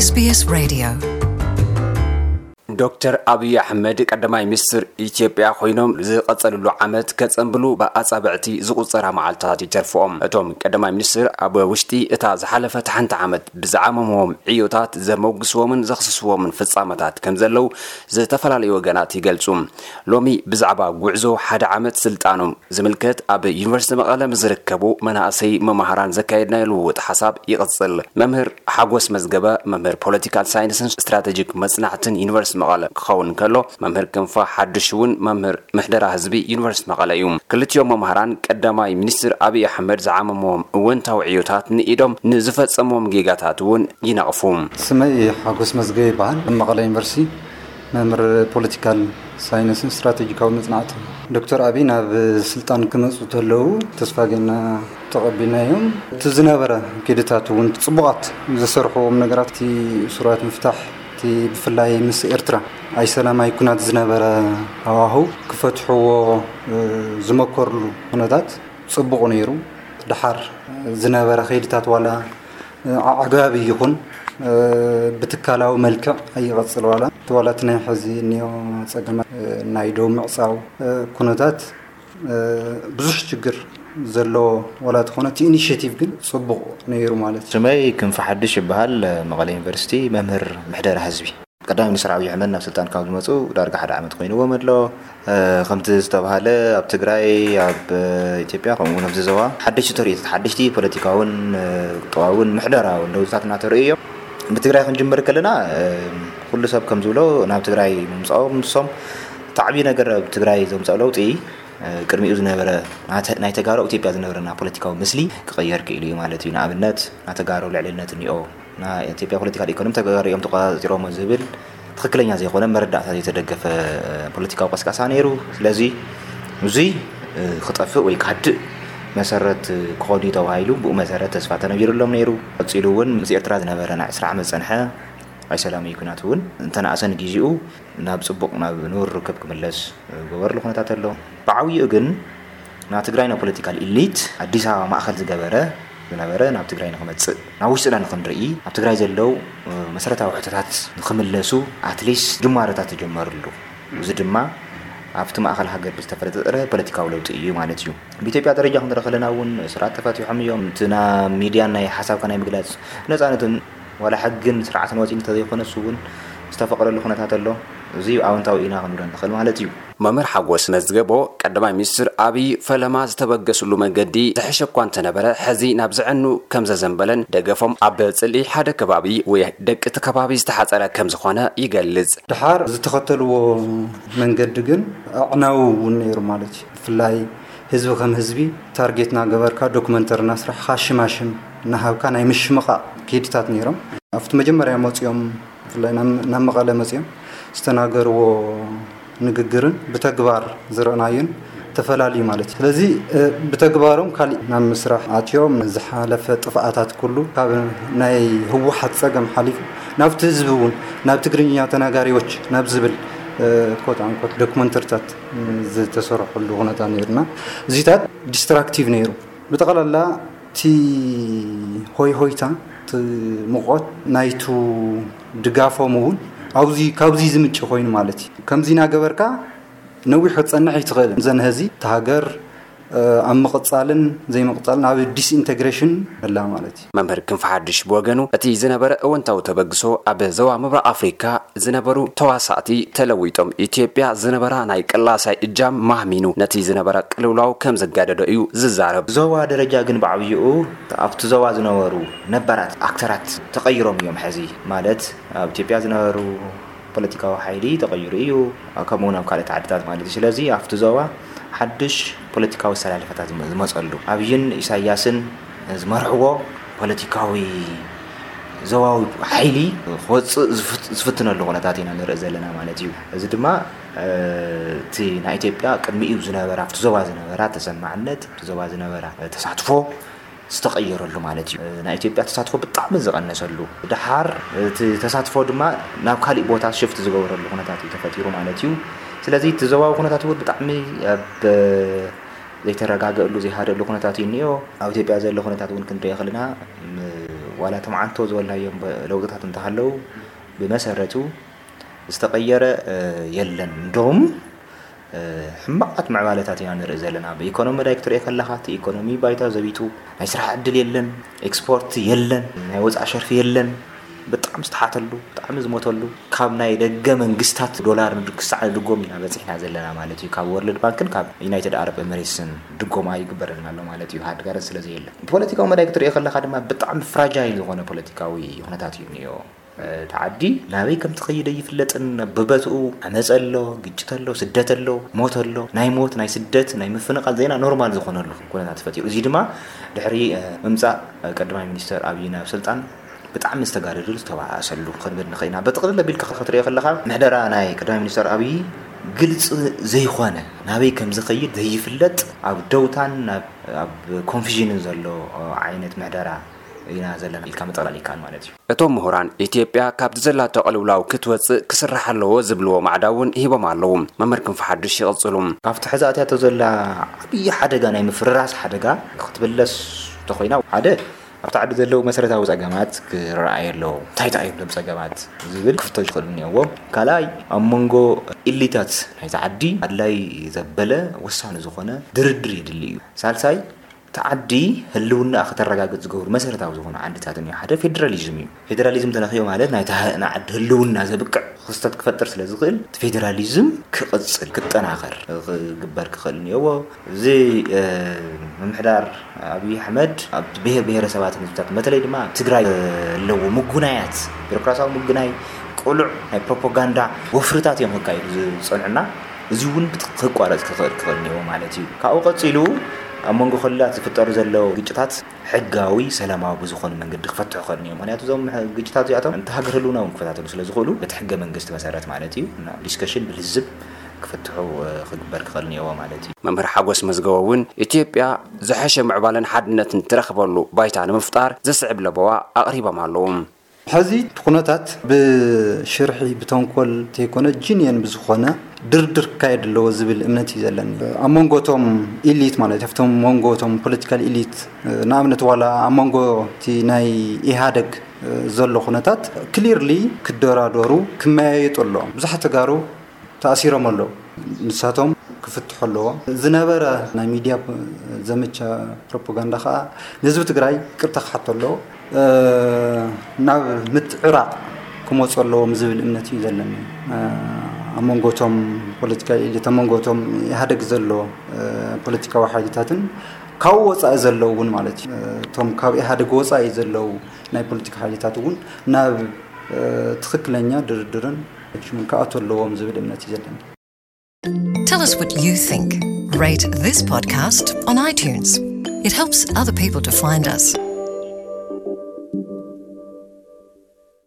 SBS Radio. ዶክተር ኣብይ ኣሕመድ ቀዳማይ ሚኒስትር ኢትዮጵያ ኮይኖም ዝቐጸልሉ ዓመት ከጸንብሉ ብኣጻብዕቲ ዝቑጸራ መዓልታት ይተርፍኦም። እቶም ቀዳማይ ሚኒስትር ኣብ ውሽጢ እታ ዝሓለፈት ሓንቲ ዓመት ብዝዓመምዎም ዕዮታት ዘመጉስዎምን ዘኽስስዎምን ፍጻመታት ከም ዘለዉ ዝተፈላለዩ ወገናት ይገልጹ። ሎሚ ብዛዕባ ጉዕዞ ሓደ ዓመት ስልጣኖም ዝምልከት ኣብ ዩኒቨርሲቲ መቐለ ምስ ዝርከቡ መናእሰይ መማህራን ዘካየድናዮ ልውውጥ ሓሳብ ይቕጽል። መምህር ሓጎስ መዝገበ፣ መምህር ፖለቲካል ሳይንስን ስትራቴጂክ መጽናዕትን ዩኒቨርሲቲ መቐለ ክኸውን ከሎ፣ መምህር ክንፋ ሓድሽ እውን መምህር ምሕደራ ህዝቢ ዩኒቨርሲቲ መቐለ እዩ። ክልቲኦም መማህራን ቀዳማይ ሚኒስትር ኣብይ ኣሕመድ ዝዓመምዎም እወንታዊ ዕዮታት ንኢዶም ንዝፈጸምዎም ጌጋታት እውን ይነቕፉ። ስመይ ሓጎስ መዝገበ ይበሃል። ኣብ መቐለ ዩኒቨርሲቲ መምህር ፖለቲካል ሳይንስን ስትራቴጂካዊ መጽናዕትን። ዶክተር ኣብይ ናብ ስልጣን ክመጹ ተለዉ ተስፋ ጌና ተቐቢልናዮም። እቲ ዝነበረ ኪድታት እውን ጽቡቓት ዝሰርሕዎም ነገራት፣ እቲ እሱራት ምፍታሕ፣ እቲ ብፍላይ ምስ ኤርትራ ኣይሰላማይ ኩናት ዝነበረ ሃዋህው ክፈትሕዎ፣ እ፣ ዝመከርሉ ኩነታት ጽቡቕ ነይሩ። ደሓር ዝነበረ ከይድታት ዋላ ኣዕጋቢ ይኹን፣ እ፣ ብትካላዊ መልክዕ ኣይቐጽል ዋላ። እቲ ዋላ እቲ ናይ ሕዚ እኒኦ ጸገማት፣ እ፣ ናይ ደው ምዕጻው፣ እ፣ ኩነታት፣ እ፣ ብዙሕ ችግር ዘለዎ ዋላ ተኾነ እቲ ኢኒሽቲቭ ግን ጽቡቕ ነይሩ ማለት እዩ። ስመይ ክንፈ ሓድሽ ይበሃል። መቐለ ዩኒቨርሲቲ መምህር ምሕደራ ህዝቢ። ቀዳማይ ሚኒስትር ኣብይ ኣሕመድ ናብ ስልጣን ካብ ዝመጹ ዳርጋ ሓደ ዓመት ኮይንዎም ኣሎ። እ፣ ከምቲ ዝተባሃለ ኣብ ትግራይ፣ ኣብ፣ እ፣ ኢትዮጵያ ከምኡ እውን ኣብዚ ዞባ ሓደሽቲ ተርእዮታት፣ ሓደሽቲ ፖለቲካውን፣ እ፣ ቁጠባውን ምሕደራውን ለውጥታት እናተርእዩ እዮም። ብትግራይ ክንጅምር ከለና፣ እ፣ ኩሉ ሰብ ከም ዝብሎ ናብ ትግራይ ምምጻኦም ንሶም እቲ ዓብዪ ነገር ኣብ ትግራይ ዘምጽኦ ለውጢ፣ እ፣ ቅድሚኡ ዝነበረ ናተ-፣ ናይ ተጋሩ ኣብ ኢትዮጵያ ዝነበረና ፖለቲካዊ ምስሊ ክቕየር ክኢሉ እዩ ማለት እዩ። ንኣብነት ናይ ተጋሩ ልዕልነት እኒኦ፣ ናይ ኢትዮጵያ ፖለቲካል ኢኮኖሚ ተጋሩ እዮም ተቆጻጺሮሞ ዝብል ትኽክለኛ ዘይኮነ መረዳእታ ዘይተደገፈ ፖለቲካዊ ቀስቃሳ ነይሩ። ስለዚ እዙይ ክጠፍእ ወይ ክሃድእ መሰረት ክኾን እዩ ተባሂሉ ብኡ መሰረት ተስፋ ተነቢሩሎም ነይሩ። ቀጺሉ እውን ምስ ኤርትራ ዝነበረ ናይ ዕስራ ዓመት ዝጸንሐ ኣይሰላማዊ ኩናት እውን እንተነኣሰ ንግዜኡ ናብ ጽቡቕ ናብ ንቡር ርክብ ክምለስ ዝገበረሉ ኩነታት ኣሎ። ብዓብይኡ ግን ናብ ትግራይ ናይ ፖለቲካል ኢሊት ኣዲስ ኣበባ ማእኸል ዝገበረ ዝነበረ ናብ ትግራይ ንክመፅእ ናብ ውሽጥና ንክንርኢ ኣብ ትግራይ ዘለው መሰረታዊ ሕቶታት ንክምለሱ ኣትሊስት ጅማሮታት ተጀመርሉ። እዚ ድማ ኣብቲ ማእኸል ሃገር ብዝተፈጠረ ፖለቲካዊ ለውጢ እዩ ማለት እዩ። ብኢትዮጵያ ደረጃ ክንርኢ ከለና እውን ስርዓት ተፈቲሖም እዮም። እቲ ናብ ሚድያን ናይ ሓሳብካ ናይ ምግላፅ ነፃነትን ዋላ ሕግን ስርዓትን ወፂኡ እንተዘይኮነ እሱ እውን ዝተፈቀደሉ ኩነታት ኣሎ። እዚ ኣወንታዊ ኢና ክንብሎ ንኽእል ማለት እዩ። መምህር ሓጎስ መዝገቦ ቀዳማይ ሚኒስትር ኣብይ ፈለማ ዝተበገስሉ መንገዲ ዝሕሸ እኳ እንተነበረ ሕዚ ናብ ዘዕኑ ከም ዘዘንበለን ደገፎም ኣብ ፅልኢ ሓደ ከባቢ ወይ ደቂ እቲ ከባቢ ዝተሓፀረ ከም ዝኾነ ይገልፅ። ድሓር ዝተኸተልዎ መንገዲ ግን ኣዕናዊ እውን ነይሩ ማለት እዩ። ብፍላይ ህዝቢ ከም ህዝቢ ታርጌት እናገበርካ ዶክመንተሪ እናስራሕኻ ሽማሽም እናሃብካ ናይ ምሽምቓቕ ከይድታት ነይሮም። ኣብቲ መጀመርያ መፂኦም ብፍላይ ናብ መቐለ መፂኦም ዝተናገርዎ ንግግርን ብተግባር ዝረእናዮን ተፈላለዩ ማለት እዩ። ስለዚ ብተግባሮም ካሊእ ናብ ምስራሕ ኣትዮም ዝሓለፈ ጥፍኣታት ኩሉ ካብ ናይ ህወሓት ፀገም ሓሊፉ ናብቲ ህዝቢ እውን ናብ ትግርኛ ተናጋሪዎች ናብ ዝብል ኮት ኣንኮት ዶክመንተሪታት ዝተሰርሐሉ ኩነታት ነይሩና። እዚታት ዲስትራክቲቭ ነይሩ። ብጠቕላላ እቲ ሆይ ሆይታ እቲ ሙቐት ናይቱ ድጋፎም እውን ኣብዚ ካብዚ ዝምንጭ ኮይኑ ማለት እዩ። ከምዚ እናገበርካ ነዊሕ ክትፀንሕ ኣይትኽእልን። ዘንሀዚ እቲ ሃገር ኣብ ምቕፃልን ዘይምቕፃልን ኣብ ዲስኢንቴግሬሽን ኣላ ማለት እዩ። መምህር ክንፈ ሓድሽ ብወገኑ እቲ ዝነበረ እወንታዊ ተበግሶ ኣብ ዞባ ምብራቕ ኣፍሪካ ዝነበሩ ተዋሳእቲ ተለዊጦም ኢትዮጵያ ዝነበራ ናይ ቅላሳይ እጃም ማህሚኑ ነቲ ዝነበረ ቅልውላው ከም ዘጋደዶ እዩ ዝዛረብ። ዞባ ደረጃ ግን ብዓብይኡ ኣብቲ ዞባ ዝነበሩ ነባራት ኣክተራት ተቐይሮም እዮም። ሕዚ ማለት ኣብ ኢትዮጵያ ዝነበሩ ፖለቲካዊ ሓይሊ ተቐይሩ እዩ። ከምኡ እውን ኣብ ካልኦት ዓድታት ማለት እዩ። ስለዚ ኣብቲ ዞባ ሓድሽ ፖለቲካዊ ኣሰላልፋታት ዝመ-፣ ዝመፀሉ ኣብይን ኢሳያስን ዝመርሕዎ ፖለቲካዊ ዞባዊ ሓይሊ ክወፅእ ዝፍት-፣ ዝፍትነሉ ኩነታት ኢና ንርኢ ዘለና ማለት እዩ። እዚ ድማ እቲ ናይ ኢትዮጵያ ቅድሚኡ ዝነበራ ኣብቲ ዞባ ዝነበራ ተሰማዕነት ኣብቲ ዞባ ዝነበራ ተሳትፎ ዝተቐየረሉ ማለት እዩ። ናይ ኢትዮጵያ ተሳትፎ ብጣዕሚ ዝቐነሰሉ፣ ድሓር እቲ ተሳትፎ ድማ ናብ ካሊእ ቦታ ሽፍት ዝገበረሉ ኩነታት እዩ ተፈጢሩ ማለት እዩ። ስለዚ እቲ ዞባዊ ኩነታት እውን ብጣዕሚ ኣብ ዘይተረጋገእሉ ዘይሃደሉ ኩነታት እዩ እኒኦ። ኣብ ኢትዮጵያ ዘሎ ኩነታት እውን ክንሪኦ ከለና ም-፣ ዋላ ትማዓንቶ ዝበልናዮም ለውጥታት እንተሃለዉ ብመሰረቱ ዝተቐየረ የለን። እንደውም ሕማቓት ምዕባለታት ኢና ንርኢ ዘለና። ብኢኮኖሚ ዳይ ክትሪኦ ከለኻ እቲ ኢኮኖሚ ባይታ ዘቢጡ፣ ናይ ስራሕ ዕድል የለን፣ ኤክስፖርት የለን፣ ናይ ወፃእ ሸርፊ የለን። ብጣዕሚ ዝተሓተሉ፣ ብጣዕሚ ዝሞተሉ፣ ካብ ናይ ደገ መንግስታት ዶላር ክሳዕ ንድጎም ኢና በፂሕና ዘለና ማለት እዩ። ካብ ወርልድ ባንክን ካብ ዩናይትድ ኣረብ ኤምሬትስን ድጎማ ይግበረልና ኣሎ ማለት እዩ። ሃድጋረን ስለ ዘየለ፣ ብፖለቲካዊ መዳይ ክትሪኦ ከለኻ ድማ ብጣዕሚ ፍራጃይል ዝኾነ ፖለቲካዊ ኩነታት እዩ እኒኦ። እቲ ዓዲ ናበይ ከም ትኸይድ ኣይፍለጥን። ብበትኡ ዓመፅ ኣሎ፣ ግጭት ኣሎ፣ ስደት ኣሎ፣ ሞት ኣሎ። ናይ ሞት፣ ናይ ስደት፣ ናይ ምፍንቓል ዜና ኖርማል ዝኾነሉ ኩነታት ፈጢሩ። እዚ ድማ ድሕሪ ምምፃእ ቀዳማይ ሚኒስተር ኣብይ ናብ ስልጣን ብጣዕሚ ዝተጋደደሉ ዝተባኣሰሉ ክንብል ንኽእል ኢና። ብጥቕልል ኣቢልካ ክትሪኦ ከለኻ ምሕደራ ናይ ቀዳማይ ሚኒስተር ኣብይ ግልፂ ዘይኮነ፣ ናበይ ከም ዝኸይድ ዘይፍለጥ፣ ኣብ ደውታን ኣብ ኮንፊዥንን ዘሎ ዓይነት ምሕደራ ኢና ዘለና ኢልካ ምጥቕላል ይከኣል ማለት እዩ። እቶም ምሁራን፣ ኢትዮጵያ ካብቲ ዘላቶ ቅልውላው ክትወፅእ ክስራሕ ኣለዎ ዝብልዎ ማዕዳ እውን ሂቦም ኣለዉ። መምህር ክንፈ ሓዱሽ ይቕፅሉ። ካብቲ ሕዚ ኣትያቶ ዘላ ዓብዪ ሓደጋ፣ ናይ ምፍርራስ ሓደጋ ክትብለስ እንተኾይና፣ ሓደ ኣብቲ ዓዲ ዘለዉ መሰረታዊ ፀገማት ክረኣዩ ኣለዎ። እንታይ እንታይ እዮም እዞም ፀገማት ዝብል ክፍተሹ ክኽእሉ እኒኦዎም። ካልኣይ ኣብ መንጎ ኢሊታት ናይቲ ዓዲ ኣድላይ ዘበለ ወሳኒ ዝኾነ ድርድር የድሊ እዩ። ሳልሳይ እቲ ዓዲ ህልውና ከተረጋግፅ ዝገብሩ መሰረታዊ ዝኾኑ ዓንድታት እኒኦ። ሓደ ፌዴራሊዝም እዩ። ፌዴራሊዝም ተነኽዮ ማለት ናይታ ህ- ንዓዲ ህልውና ዘብቅዕ ክስተት ክፈጥር ስለ ዝኽእል እቲ ፌዴራሊዝም ክቕፅል ክጠናኸር ክግበር ክኽእል እኒኦዎ። እዚ ምምሕዳር ኣብይ ኣሕመድ ኣብ ብሄር ብሄረሰባትን ህዝብታት በተለይ ድማ ኣብ ትግራይ ኣለዎ ምጉናያት ቢሮክራሲያዊ ምጉናይ ቅሉዕ ናይ ፕሮፓጋንዳ ወፍርታት እዮም ክካየዱ ዝፀንዑና። እዚ እውን ክቋረፅ ክኽእል ክኽእል እኒኦ ማለት እዩ። ካብኡ ቀፂሉ ኣብ መንጎ ክልላት ዝፍጠሩ ዘለዉ ግጭታት ሕጋዊ ሰላማዊ ብዝኾነ መንገዲ ክፈትሑ ክኽእል እኒኦ። ምክንያቱ እዞም ግጭታት እዚኣቶም እንተ ሃገር ህልውና እውን ክፈታተሉ ስለ ዝኽእሉ በቲ ሕገ መንግስቲ መሰረት ማለት እዩ እና ዲስከሽን ብልዝብ ክፍትሑ ክግበር ክኽእል እኒኦ ማለት እዩ። መምህር ሓጎስ መዝገቦ እውን ኢትዮጵያ ዝሐሸ ምዕባለን ሓድነትን ትረኽበሉ ባይታ ንምፍጣር ዘስዕብ ለበዋ ኣቕሪቦም ኣለዉ። ሕዚ እቲ ኩነታት ብሽርሒ ብተንኮል ተይኮነ ጂንየን ብዝኾነ ድርድር ክካየድ ኣለዎ ዝብል እምነት እዩ ዘለኒ። ኣብ መንጎ እቶም ኢሊት ማለት ኣብቶም መንጎ እቶም ፖለቲካል ኢሊት ንኣብነት ዋላ ኣብ መንጎ እቲ ናይ ኢህኣደግ ዘሎ ኩነታት ክሊርሊ ክደራደሩ ክመያየጡ ኣለዎም። ብዙሓት ተጋሩ ተኣሲሮም ኣለዉ። ንሳቶም ክፍትሑ ኣለዎም። ዝነበረ ናይ ሚድያ ዘመቻ ፕሮፓጋንዳ ከዓ ንህዝቢ ትግራይ ይቅርታ ክሓቶ ኣለዎ። ናብ ምትዕራቕ ክመፁ ኣለዎም ዝብል እምነት እዩ ዘለኒ። ኣብ መንጎቶም ፖለቲካ ኢሊት ኣብ መንጎቶም ኢህኣደግ ዘሎ ፖለቲካዊ ሓይልታትን ካብኡ ወፃኢ ዘለዉ እውን ማለት እዩ። እቶም ካብ ኢህኣደግ ወፃኢ ዘለዉ ናይ ፖለቲካ ሓይልታት እውን ናብ ትኽክለኛ ድርድርን ሽምን ክኣቱ ኣለዎም ዝብል እምነት እዩ ዘለኒ። Tell us what you think. Rate this podcast on iTunes. It helps other people to find us.